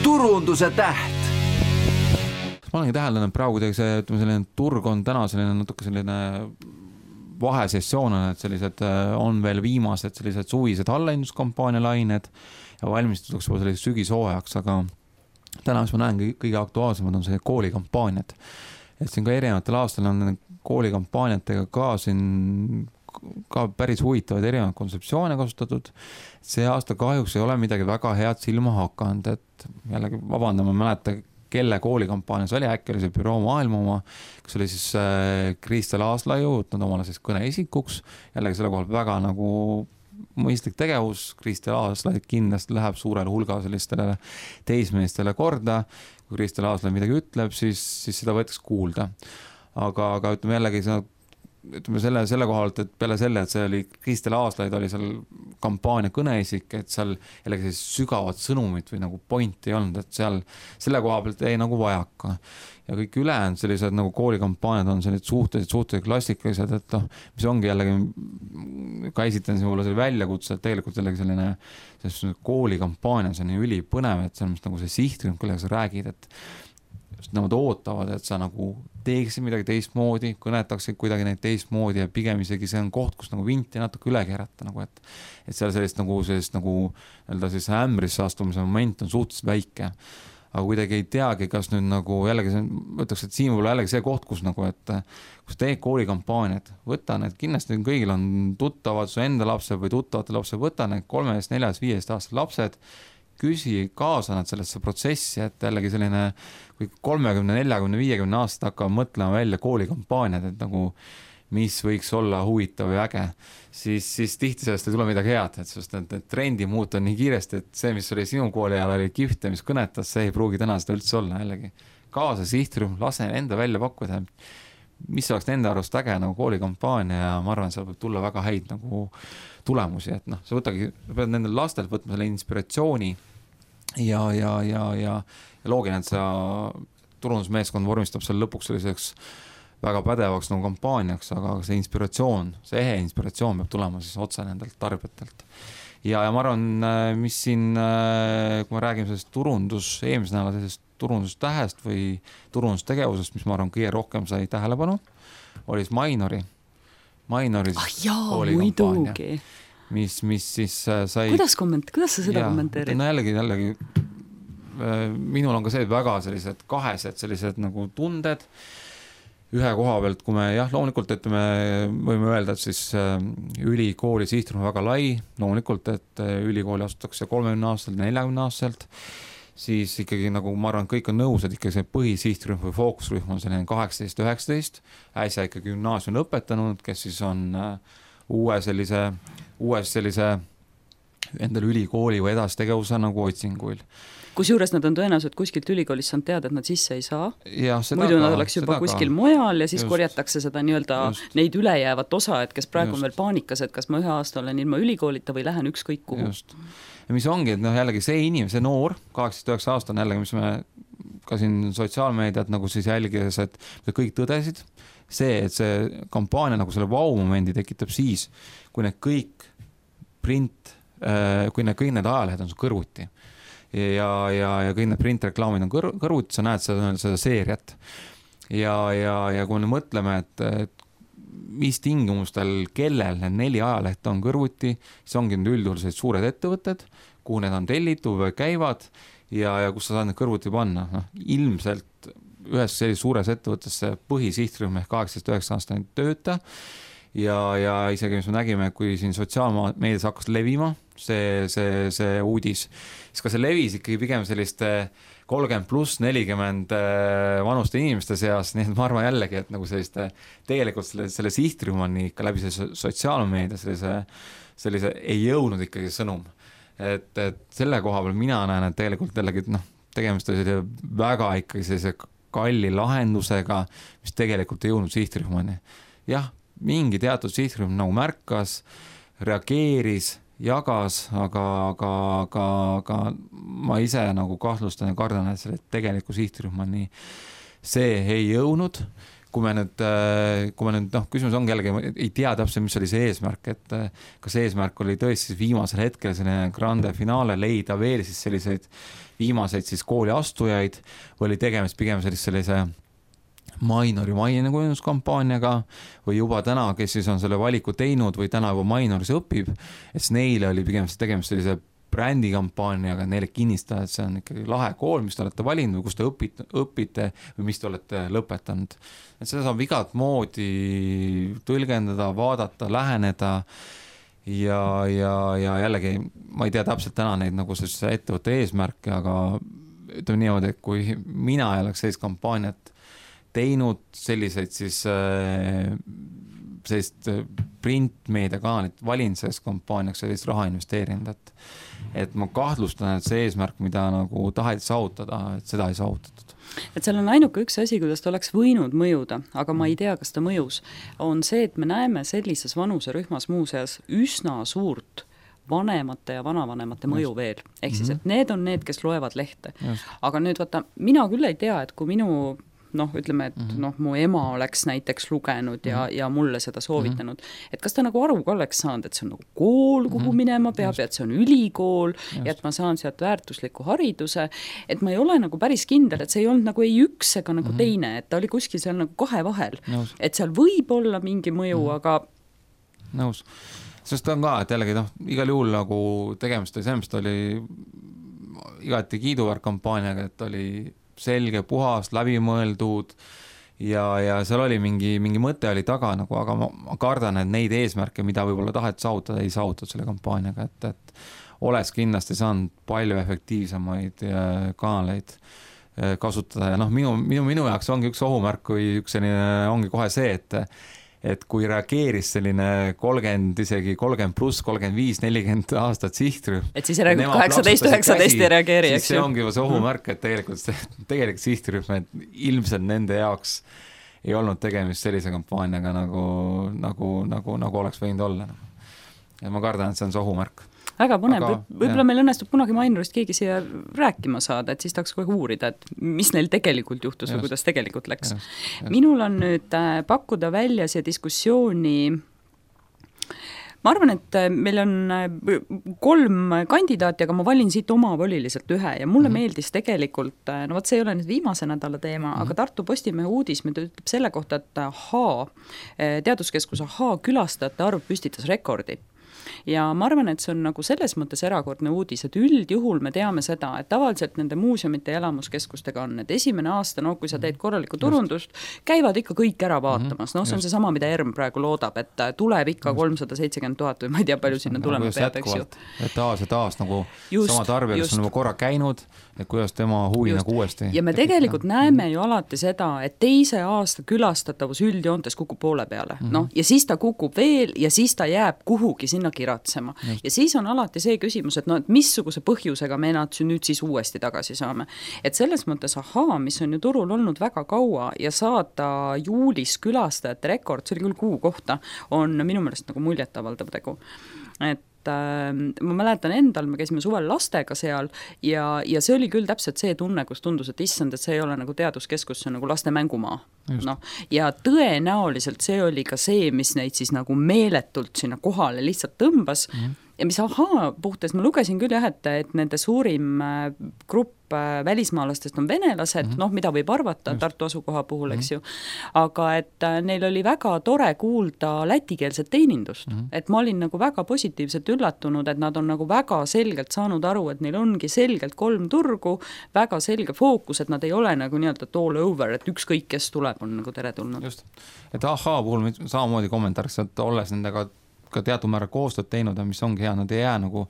turunduse täht. Ma olengi täheldanud praegu see, ütleme, selline turg on täna selline natuke selline vahesessioon on, et sellised on veel viimased sellised suvised allahinduskampaania lained ja valmistutakse selliseks sügishooajaks, aga täna, mis ma näen kõige aktuaalsemad on see koolikampaaniad. Et siin ka erinevatel aastal on koolikampaaniatega ka siin ka päris huvitavaid erinevaid kontseptsioone kasutatud. See aasta kahjuks ei ole midagi väga head silma hakanud, et jällegi vabandama mäleta, kelle koolikampaanias oli, äkki oli see Büroo Maailma oma, kus oli siis Kristel Aaslaiu võtnud omale siis kõneisikuks, jällegi selle kohal väga nagu mõistlik tegevus, Kristel Aaslai kindlasti läheb suurel hulga sellistele teismeestele korda, kui Kristel Aaslai midagi ütleb, siis seda võetakse kuulda. Aga ütleme jällegi selle kohalt, et peale selle, et see oli Kristel Aaslaid oli seal kampaania kõneisik, et seal jällegi sügavat sõnumit või nagu pointi ei olnud, et seal selle koha pealt ei nagu vajaka. Ja kõik ülejäänud sellised nagu koolikampaaniad on sellised suhteliselt klassikalised, et mis ongi jällegi, ka esitan siin selle väljakutse, et tegelikult jällegi selline koolikampaania, see on nii ülipõnev, et see on nagu see sihtrühm, kellega sa räägid, et nad ootavad, et sa nagu teeksid midagi teistmoodi, kõnetaksid kuidagi neid teistmoodi ja pigem isegi see on koht, kus nagu vinti natuke üle keerata, nagu et seal sellist nagu siis ämbrisse astumise moment on suhteliselt väike. Aga kuidagi ei teagi, kas nüüd nagu jällegi võtaks, et siin võib-olla jällegi see koht, kus nagu, et kus teed koolikampaaniad, võta need, kindlasti kõigil on tuttavad su enda lapsed või tuttavate lapsed, võta need 3, 4, 5 aastased lapsed, küsi kaasa nad sellesse protsessi, et jällegi selline, kui 30, 40, 50 aastat hakkavad mõtlema välja koolikampaaniad, et nagu mis võiks olla huvitav ja äge, siis tihti sellest ei tule midagi head, et sest need trendi muuta nii kiiresti, et see, mis oli sinu kooli ajal oli kihvt ja mis kõnetas, see ei pruugi täna seda üldse olla jällegi. Kaasa sihtrühm, lase enda välja pakkuda, mis oleks nende arvust äge nagu koolikampaania ja ma arvan, seal võib tulla väga häid nagu tulemusi, et sa pead nendel lastelt võtma selle inspiratsiooni ja loogiline, et sa turundusmeeskond vormistab seal lõpuks selliseks väga pädevaks nagu kampaaniaks, aga see inspiratsioon, see ehe inspiratsioon peab tulema siis otse nendelt tarbijatelt. Ja ma arvan, mis siin, kui me räägime sellest eelmise nädala sellisest turundustähest või turundustegevusest, mis ma arvan kõige rohkem sai tähelepanu, oli Mainori koolikampaania. Mis siis sai... Kuidas sa seda kommenteerid? No jällegi, minul on ka see väga sellised kahesed sellised nagu tunded, ühe koha pealt, kui me loomulikult, et me võime öelda, et siis ülikooli sihtrühm väga lai, loomulikult, et ülikooli asutakse 30 aastaselt, 40 aastaselt, siis ikkagi nagu ma arvan, kõik on nõus, et ikkagi see põhisihtrühm või fookusrühm on selline 18-19, äsja ikka gümnaasium lõpetanud, kes siis on uues sellise endal ülikooli või edastegevuse nagu otsinguil. Kusjuures nad on tõenäoliselt kuskilt ülikoolist saanud teada, et nad sisse ei saa. Muidu nad oleks juba kuskil mujal ja siis korjatakse seda neid ülejäävat osa, et kes praegu on veel paanikas, et kas ma 1 aasta olen ilma ülikoolita või lähen ükskõik kuhu. Ja mis ongi, et jällegi see inimene, see noor, 18-9 aastane jällegi, mis me ka siin sotsiaalmeediat nagu siis jälgides, et kõik tõdesid, et see kampaania nagu selle vau-momendi tekitab siis, kui need kõik kõik need ajalehed on su kõrvuti. Ja kõik need printreklaamid on kõrvuti, sa näed seda seeriat. Ja kui me mõtleme, et mis tingimustel, kellel need 4 ajalehte on kõrvuti, siis ongi need üldjuhul sellised suured ettevõtted, kuhu need on tellitud või käivad ja kus sa saad need kõrvuti panna. Ilmselt ühes sellises suures ettevõttesse põhisihtrühm ehk 18-9 aastane tööta ja isegi mis me nägime, kui siin sotsiaalmeedias hakkas levima see uudis, siis ka see levis ikkagi pigem selliste 30+40 vanuste inimeste seas, nii et ma arvan jällegi, et nagu selliste tegelikult selle sihtrühm on ikka läbi sotsiaalmeedia sellise ei jõudnud ikkagi sõnum. Et selle koha peal mina näen, et tegelikult jällegi tegemist oli väga ikkagi sellise kalli lahendusega, mis tegelikult ei jõudnud sihtrühmani. Jah, mingi teatud sihtrühm nagu märkas, reageeris, jagas, aga ma ise nagu kahtlustan ja kardan, et selle tegeliku sihtrühmani see ei jõudnud. kui me nüüd küsimus ongi jällegi, ei tea täpselt, mis oli see eesmärk, et kas eesmärk oli tõesti viimasel hetkel selline grande finaale leida veel siis selliseid viimaseid siis kooli astujaid või oli tegemist pigem sellise minori mainekujunduskampaaniaga või juba täna, kes siis on selle valiku teinud või täna juba minoris õpib, et siis neile oli pigem tegemist sellise brändikampaaniaga, neile kinnistada, et see on ikkagi lahe kool, mis te olete valinud või kus te õpite või mis te olete lõpetanud. Et seda saab igat moodi tõlgendada, vaadata, läheneda ja jällegi ma ei tea täpselt täna neid nagu see ettevõtte eesmärke, aga ütleme niimoodi, et kui mina ei oleks sellist kampaaniat teinud, selliseid siis sellist printmeediakanalit valinud sellest kampaaniaks, sellist raha investeerinud, et ma kahtlustan, et see eesmärk, mida nagu taheti saavutada, et seda ei saavutatud. Et seal on ainuke üks asi, kuidas ta oleks võinud mõjuda, aga ma ei tea, kas ta mõjus, on see, et me näeme sellises vanuserühmas muuseas üsna suurt vanemate ja vanavanemate mõju veel. Ehk siis, et need on need, kes loevad lehte. Aga nüüd vaata, mina küll ei tea, et kui minu ütleme, et mu ema oleks näiteks lugenud ja mulle seda soovitanud, et kas ta nagu aru ka oleks saanud, et see on nagu kool, kuhu minema peab ja et see on ülikool ja et ma saan sealt väärtusliku hariduse, et ma ei ole nagu päris kindel, et see ei olnud nagu ei üks ega nagu teine, et ta oli kuskil seal nagu kahe vahel, et seal võib olla mingi mõju, aga nõus. Sest on ka, et jällegi igal juhul nagu tegemist oli sellest, oli igati kiiduväärt kampaaniaga, et oli selge, puhas, läbimõeldud ja seal oli mingi mõte oli taga nagu, aga ma kardan, et neid eesmärke, mida võib-olla tahet saavutada, ei saavutatud selle kampaaniaga, et oleks kindlasti saanud palju efektiivsemaid kanaleid kasutada ja minu jaoks ongi üks ohumärk, kui üks selline ongi kohe see, et kui reageeris selline 30, isegi 30 pluss, 35, 40 aastat sihtrühm. Et siis 18-19 ei reageeri, eks ju? See ongi see ohumärk, et tegelikult sihtrühm, et ilmselt nende jaoks ei olnud tegemist sellise kampaaniaga nagu oleks võinud olla. Ja ma kardan, et see on see ohumärk. Väga põnev, võib-olla meil õnnestub kunagi minorist keegi siia rääkima saada, et siis tahaks kogu uurida, et mis neil tegelikult juhtus või kuidas tegelikult läks. Minul on nüüd pakkuda välja see diskussiooni, ma arvan, et meil on 3 kandidaati, aga ma valin siit omavoliliselt ühe ja mulle meeldis tegelikult, see ei ole nüüd viimase nädala teema, aga Tartu Postimehe uudis ütleb selle kohta, et teaduskeskuse külastajate arv püstitas rekordi. Ja ma arvan, et see on nagu selles mõttes erakordne uudis, et üldjuhul me teame seda, et tavaliselt nende muuseumite ja elamuskeskustega on, et esimene aasta, kui sa teed korralikku turundust, käivad ikka kõik ära vaatamas, see on see sama, mida ERM praegu loodab, et tuleb ikka 370 000 või ma ei tea, palju sinna tulema peab, eks ju. Et taas nagu sama tarbija, kes on korra käinud, et kuidas tema huvi nagu uuesti. Ja me tegelikult näeme ju alati seda, et teise aasta külastatavus üldjoontes kukub poole peale, ja siis ta kukub veel ja siis ta jääb kuhugi sinna kiratsema. Ja siis on alati see küsimus, et et missuguse põhjusega me nad nüüd siis uuesti tagasi saame. Et selles mõttes mis on ju turul olnud väga kaua ja saada juulis külastajate rekord, see oli küll kuu kohta, on minu meelest nagu muljetavaldav tegu. Et ma mäletan endal, me käisime suvel lastega seal ja see oli küll täpselt see tunne, kus tundus, et issand, et see ei ole nagu teaduskeskus, see on nagu laste mängumaa. Ja tõenäoliselt see oli ka see, mis neid siis nagu meeletult sinna kohale lihtsalt tõmbas ja mis puhtes, ma lugesin küll et nende suurim grupp välismaalastest on venelased, mida võib arvata Tartu asukoha puhul, eks ju, aga et neil oli väga tore kuulda lätikeelset teenindust, et ma olin nagu väga positiivselt üllatunud, et nad on nagu väga selgelt saanud aru, et neil ongi selgelt 3 turgu, väga selge fookus, et nad ei ole nagu nii-öelda all over, et ükskõik, kes tuleb, on nagu teretulnud. Just, et puhul samamoodi kommentaariks, et olles nendega ka teatud määra koostööd teinud, mis ongi hea, nad ei jää nagu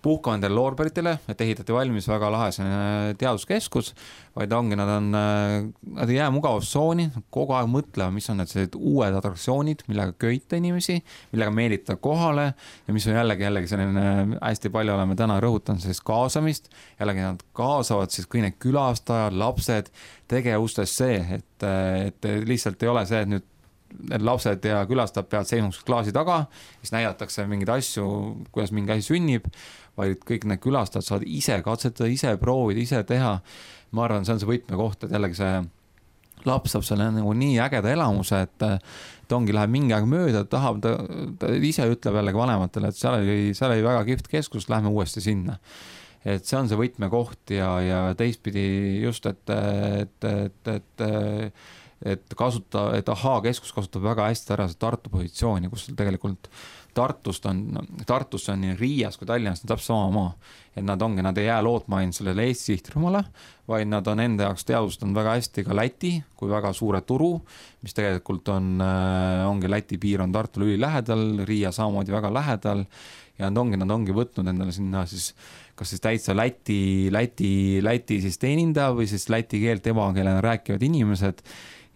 puhkama endale loorberitele, et ehitati valmis väga lahe teaduskeskus, vaid ongi, nad ei jää mugavustsooni, kogu aeg mõtlema, mis on need sellised uued atraktsioonid, millega köita inimesi, millega meelitada kohale ja mis on jällegi selline, hästi palju oleme täna rõhutanud sellist kaasamist, jällegi nad kaasavad siis kõik need külastajad, lapsed, tegevustes see, et lihtsalt ei ole see, et nüüd need lapsed ja külastajad peavad seisma klaasi taga, siis näidatakse mingeid asju, kuidas mingi asi sünnib, vaid kõik need külastajad saavad ise katsetada, ise proovida, ise teha. Ma arvan, see on see võtmekoht, et jällegi see laps saab selle nagu nii ägeda elamuse, et ongi, läheb mingi aeg mööda, tahab, ta ise ütleb jällegi vanematele, et seal oli väga kihvt keskus, lähme uuesti sinna. Et see on see võtmekoht ja teistpidi just, et Ahaa keskus kasutab väga hästi ära see Tartu positsiooni, kus tegelikult Tartusse on nii Riias kui Tallinnas täpselt sama maa. Et nad ei jää lootma ainult sellele Eesti sihtrühmale, vaid nad on enda jaoks teadvustanud väga hästi ka Läti kui väga suure turu, mis tegelikult ongi Läti piir on Tartule üli lähedal, Riia samamoodi väga lähedal ja nad ongi võtnud endale sinna siis kas siis täitsa Läti siis teenindaja või siis läti keelt emakeelena rääkivad inimesed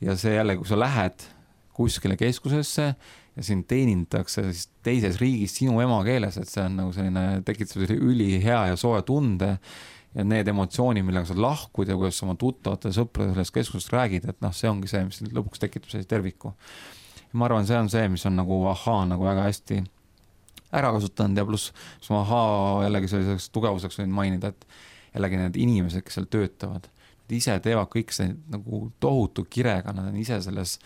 ja see jälle, kui sa lähed kuskile keskusesse ja siin teenindatakse siis teises riigis sinu emakeeles, et see on nagu selline, tekitab üli hea ja soe tunde ja need emotsioonid, millega sa lahkud ja kuidas oma tuttavate sõprade sellest keskusest räägid, et see ongi see, mis lõpuks tekitab sellise terviku. Ja ma arvan, see on see, mis on nagu Ahaa nagu väga hästi ära kasutanud ja pluss Ahaa jällegi selliseks tugevuseks võin mainida, et jällegi need inimesed, kes seal töötavad, ise teevad kõik see nagu tohutu kirega, nad on ise selles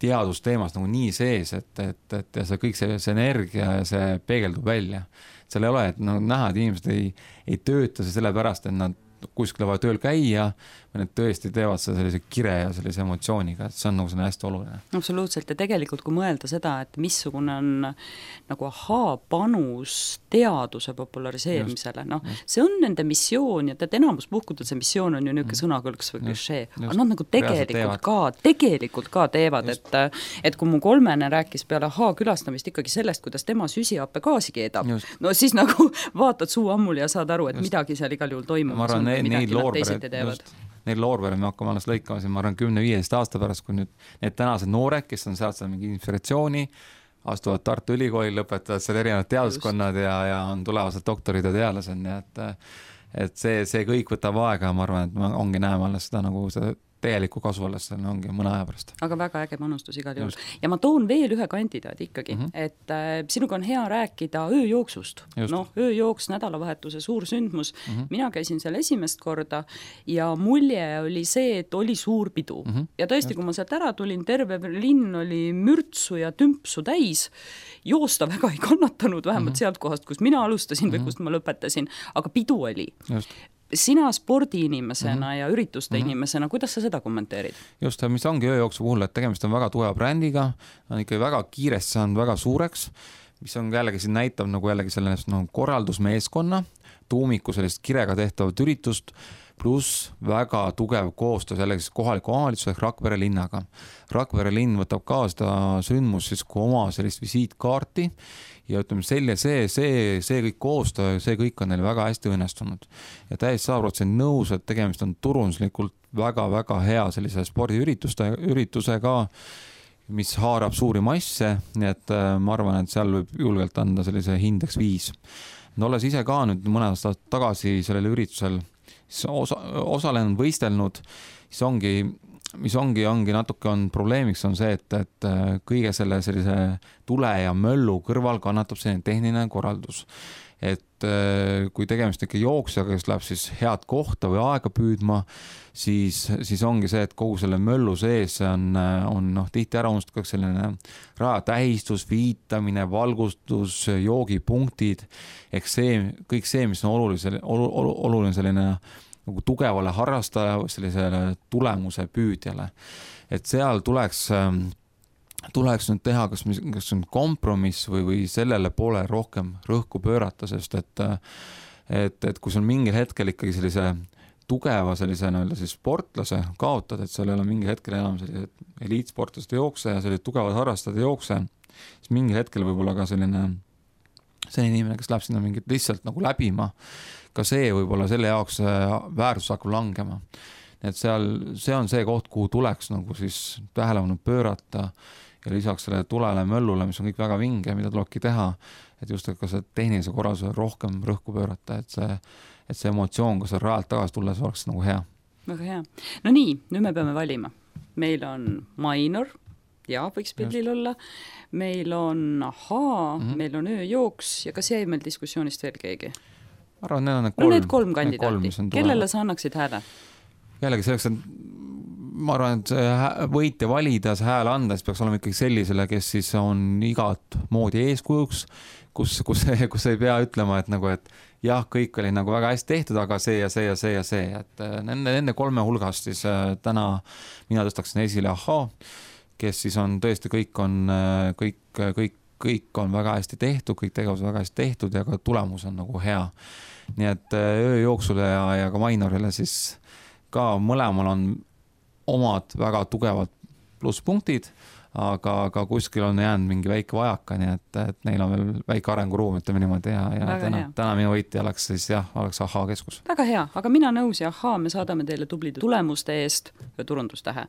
teadusteemas nagu nii sees, et ja see kõik see energia ja see peegeldub välja. Seal ei ole, et näha, et inimesed ei tööta see sellepärast, et nad kuskile vaja tööl käia, või need tõesti teevad seda sellise kire ja sellise emotsiooniga, et see on nagu selline hästi oluline. Absoluutselt ja tegelikult kui mõelda seda, et missugune on nagu Ahaa panus teaduse populariseerimisele, see on nende missioon ja enamus puhkudel see missioon on ju niisugune sõnakõlks või klišee, aga nad nagu tegelikult ka teevad, et kui mu kolmene rääkis peale Ahaa külastamist ikkagi sellest, kuidas tema süsihappegaasi keedab, no siis nagu vaatad suu ammul ja saad aru, et midagi seal igal juhul toimumas on, midagi nad teisiti teevad. Neil loorveri me hakkame alles lõikama siin, ma arvan 10-15 aasta pärast, kui nüüd need tänased noored, kes on sealt mingi inspiratsiooni, astuvad Tartu Ülikooli, lõpetavad seal erinevad teaduskonnad ja on tulevased doktorid ja tealased, nii et see kõik võtab aega ja ma arvan, et ongi näeme alles seda nagu seda täielikku kasu alles, see ongi mõne aja pärast. Aga väga äge panustus igal juhul. Ja ma toon veel ühe kandidaadi ikkagi, et sinuga on hea rääkida ööjooksust. Ööjooks, nädalavahetuse suur sündmus. Mina käisin seal esimest korda ja mulje oli see, et oli suur pidu. Ja tõesti, kui ma sealt ära tulin, terve linn oli mürtsu ja tümpsu täis. Joosta väga ei kannatanud, vähemalt sealt kohast, kus mina alustasin või kust ma lõpetasin, aga pidu oli. Sina spordiinimesena ja ürituste inimesena, kuidas sa seda kommenteerid? Just, mis ongi ööjooksu puhul, et tegemist on väga tugeva brändiga, on ikka väga kiiresti saanud väga suureks, mis on jällegi siin näitab nagu jällegi sellest korraldusmeeskonna, tuumiku sellist kirega tehtavat üritust, pluss väga tugev koostöö jällegi kohaliku omavalitsuse ehk Rakvere linnaga. Rakvere linn võtab ka seda sündmus siis kui oma sellist visiitkaarti ja ütleme see kõik koostöö, see kõik on neil väga hästi õnnestunud. Ja täiesti 100% nõus, et tegemist on turunduslikult väga-väga hea sellise spordiüritusega, mis haarab suuri masse, nii et ma arvan, et seal võib julgelt anda sellise hindeks 5. Olles ise ka nüüd mõne aasta tagasi sellel üritusel osalenud, võistelnud, mis ongi natuke on probleemiks on see, et kõige sellise tule ja möllu kõrval kannatab selline tehniline korraldus. Et kui tegemist ikka jooksjaga, kes läheb siis head kohta või aega püüdma, siis ongi see, et kogu selle möllu sees on tihti ära unustatud selline rajatähistus, viitamine, valgustus, joogipunktid, ehk kõik see, mis on oluline selline nagu tugevale harrastaja või sellisele tulemuse püüdjale. Et seal tuleks nüüd teha, kas on kompromiss või sellele poole rohkem rõhku pöörata, sest et kui sul mingil hetkel ikkagi sellise tugeva sellise siis sportlase kaotad, et seal ei ole mingil hetkel enam sellised eliitsportlaste jookse ja sellised tugevad harrastajad jookse, siis mingil hetkel võib olla ka selline inimene, kes läheb sinna mingit lihtsalt nagu läbima, ka see võib-olla selle jaoks väärtus hakkab langema. Et see on see koht, kuhu tuleks nagu siis tähelepanu pöörata ja lisaks selle tulele möllule, mis on kõik väga vinge, mida tulebki teha, et just ka see tehnilise korralduse rohkem rõhku pöörata, et see emotsioon, kui sa rajalt tagasi tulles oleks nagu hea. Väga hea. No nii, nüüd me peame valima. Meil on minor, ja võiks pildil olla, meil on Ahaa, meil on ööjooks ja kas jäi meil diskussioonist veel keegi? Arvan, need kolm kandidaati. Kellele sa annaksid hääle? Jällegi selleks, et ma arvan, et võitja valida, see hääle anda, siis peaks olema ikkagi sellisele, kes siis on igat moodi eeskujuks, kus ei pea ütlema, et nagu, et jah, kõik oli nagu väga hästi tehtud, aga see ja see ja see ja see, et nende 3 hulgast siis täna mina tõstaksin esile Ahhaa, kes siis on tõesti, kõik on väga hästi tehtud, kõik tegevused väga hästi tehtud ja ka tulemus on nagu hea. Nii et öö jooksule ja ka Mainorile siis ka mõlemal on omad väga tugevad plusspunktid, aga kuskil on jäänud mingi väike vajaka, nii et neil on veel väike arenguruum, ütleme niimoodi ja täna minu võitja oleks siis oleks Ahhaa keskus. Väga hea, aga mina nõus ja Ahhaa, me saadame teile tublide tulemuste eest ja turundustähe.